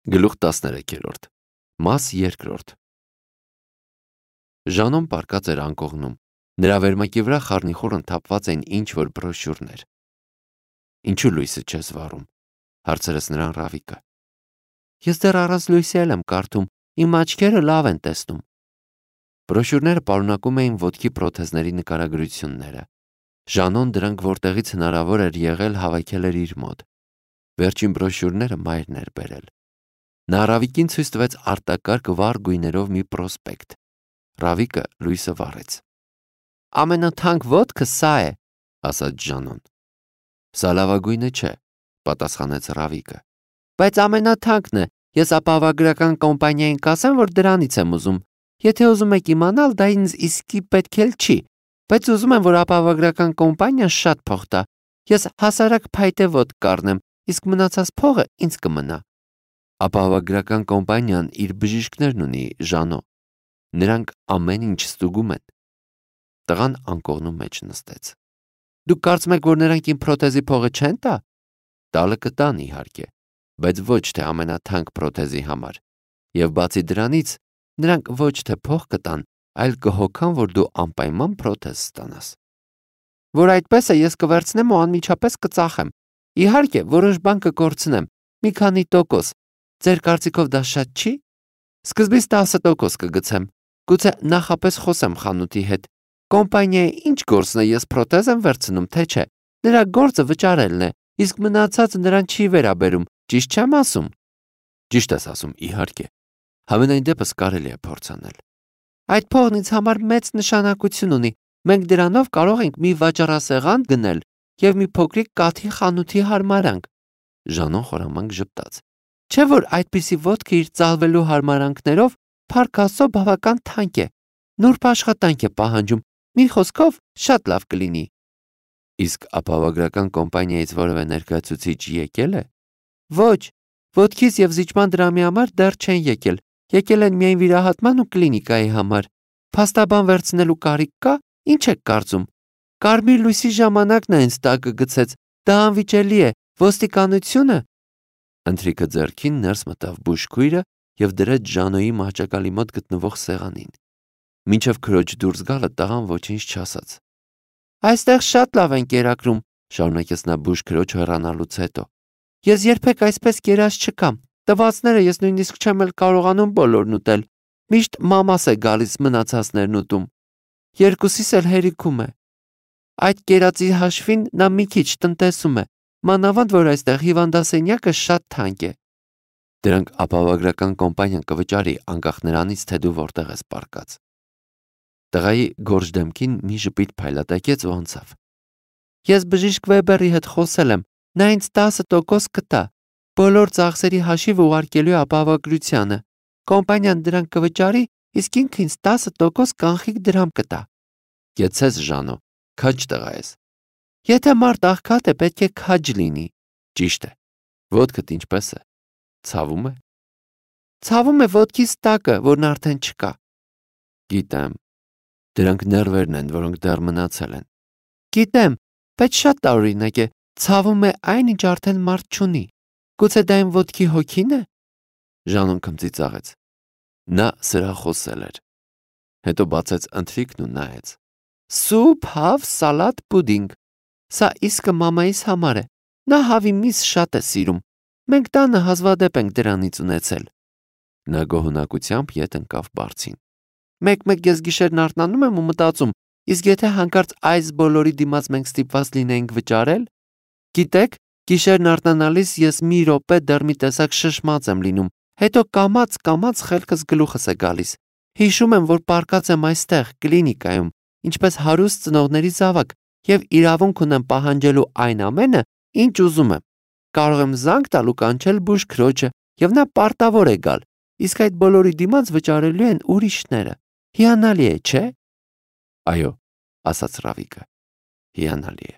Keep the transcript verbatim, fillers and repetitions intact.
Գլուխ տասներեքերորդ Մաս երկրորդ Ժանոն պառկած էր անկողնում, նրա վերմակի վրա խառնիխուռն թափված էին ինչ-որ բրոշյուրներ։ Ինչու լույսը չես վառում, հարցրեց նրան Ռավիկը։ Ես դեռ առանց լույսի էլ եմ կարդում, իմ աչքերը լավ են տեսնում։ Բրոշյուրները պարունակում էին ոտքի պրոթեզների նկարագրությունները։ Ժանոն դրանք որտեղից հնարավոր էր եղել հավաքել էր իր մոտ։ Վերջին բրոշյուրները մայրն էր բերել։ Նա Ռավիկին ցույց տվեց արտակարգ վառ գույներով մի պրոսպեկտ։ Ռավիկը լույսը վառեց։ Ամենաթանկ ոտքը սա է, ասաց Ժանոն։ Սա լավագույնը չէ, պատասխանեց Ռավիկը։ Բայց ամենաթանկն է, ես ապահովագրական կոմպանիային կասեմ, որ դրանից եմ ուզում։ Եթե ուզում եք իմանալ, դա ինձ իսկի պետք էլ չի, բայց ուզում եմ, որ ապահովագրական կոմպանիան շատ փող տա։ Ես հասարակ փայտե ոտք կառնեմ, իսկ մնացած փողը ինձ կմնա։ Ապահովագրական կոմպանիան իր բժիշկներն ունի, Ժանո։ Նրանք ամեն ինչ ստուգում են։ Տղան անկողնու մեջ նստեց։ Դուք կարծում եք, որ նրանք իմ պրոթեզի փողը չեն տա։ Տալը կտան, իհարկե, բայց ոչ թե ամենաթանկ պրոթեզի համար։ Եվ բացի դրանից, նրանք ոչ թե փող կտան, այլ կհոգան, որ դու անպայման պրոթեզ ստանաս։ Որ այդպես է, ես կվերցնեմ ու անմիջապես կծախեմ։ Իհարկե, որոշ բան կկորցնեմ, մի քանի տոկոս։ Ձեր կարծիքով դա շատ չի։ Սկզբից տասը տոկոս կգցեմ։ Գուցե նախապես խոսեմ խանութի հետ։ Կոմպանիայի ինչ գործն է, ես պրոթեզ եմ վերցնում, թե չէ։ Նրա գործը վճարելն է, իսկ մնացածը նրան չի վերաբերում, ճիշտ չեմ ասում։ Ճիշտ ես ասում, իհարկե։ Համենայն դեպս կարելի է փորձանել։ Այդ փողն ինձ համար մեծ նշանակություն ունի։ Մենք դրանով կարող ենք մի վաճառասեղան գնել եւ մի փոքրիկ կաթի խանութի հարմարանք։ Ժանոն խորամանկ ժպտաց։ Չէ՞ որ այդպիսի ոտքը իր ծալվելու հարմարանքներով փառք Աստծո բավական թանկ է։ Նուրբ աշխատանք է պահանջում։ Մի խոսքով շատ լավ կլինի։ Իսկ ապահովագրական կոմպանիայից որևէ ներկայացուցիչ եկել է։ Ոչ, ոտքից եւ զիջման դրամի համար դեռ չեն եկել։ Եկել են միայն վիրահատման ու կլինիկայի համար։ Փաստաբան վերցնելու կարիք կա, ինչ եք կարծում։ Կարմիր լույսի ժամանակն է ինձ տակը գցեց։ Դա անվիճելի է։ Ոստիկանությունը։ Ընթրիքը ձեռքին ներս մտավ բուժքույրը եւ դրեց Ժանոյի մահճակալի մոտ գտնվող սեղանին։ Մինչև քրոջ դուրս գալը տղան ոչինչ չասաց։ Այստեղ շատ լավ են կերակրում, շարունակեց նա բուժքրոջ հեռանալուց հետո։ Ես երբեք այսպես կերած չկամ։ Տվածները ես նույնիսկ չեմ էլ կարողանում բոլորն ուտել։ Միշտ մամաս է գալիս մնացածներն ուտում։ Երկուսիս էլ հերիքում է։ Այդ կերածի հաշվին նա մի քիչ տնտեսում է, մանավանդ որ այստեղ հիվանդասենյակը շատ թանկ է։ Դրանք ապահովագրական կոմպանիան կվճարի անկախ նրանից, թե դու որտեղ ես պառկած։ Տղայի գորշ դեմքին մի ժպիտ փայլատակեց ու անցավ։ Ես բժիշկ Վեբերի հետ խոսել եմ, նա ինձ տասը տոկոս կտա։ Բոլոր ծախսերի հաշիվը ուղարկելու է ապահովագրությանը։ Կոմպանիան դրանք կվճարի, իսկ ինքը ինձ տասը տոկոս կանխիկ դրամ կտա։ Գեցես Ժանո, քաջ տղա ես։ Եթե մարդ աղքատ է, պետք է քաջ լինի։ Ճիշտ է։ Ոտքդ ինչպես է։ Ցավում է։ Ցավում է ոտքիս տակը, որն արդեն չկա։ Գիտեմ։ Դրանք ներվերն են, որոնք դեռ մնացել են։ Գիտեմ, բայց շատ տարօրինակ է։ Ցավում է այն, ինչ արդեն մարդ չունի։ Գուցե դա իմ ոտքի հոգին է։ Ժանոն քմծիծաղեց։ Նա սրախոսել էր։ Հետո բացեց ընթրիքն ու նայեց։ Սուփ, հավ, սալատ, պուդինգ։ Սա իսկը մամայիս համար է։ Նա հավի միս շատ է սիրում։ Մենք տանը հազվադեպ ենք դրանից ունեցել։ Նա գոհունակությամբ ետ ընկավ բարձին։ Մեկ-մեկ ես գիշերն արթնանում եմ ու մտածում, իսկ եթե հանկարծ այս բոլորի դիմաց մենք ստիպված լինեինք վճարել։ Գիտեք, գիշերն արթնանալիս ես մի րոպե դեռ մի տեսակ շշմած եմ լինում, հետո կամաց-կամաց խելքս գլուխս է գալիս։ Հիշում եմ, որ պառկած եմ այստեղ, կլինիկայում, ինչպես հարուստ ծնողների զավակ, եւ իրավունք ունեմ պահանջելու այն ամենը, ինչ ուզում եմ։ Կարող եմ զանգ տալ ու կանչել բուժքրոջը, եւ նա պարտավոր է գալ, իսկ այդ բոլորի դիմաց վճարելու են ուրիշները։ Հիանալի է, չէ՞։ Այո, ասաց Ռավիկը։ Հիանալի է։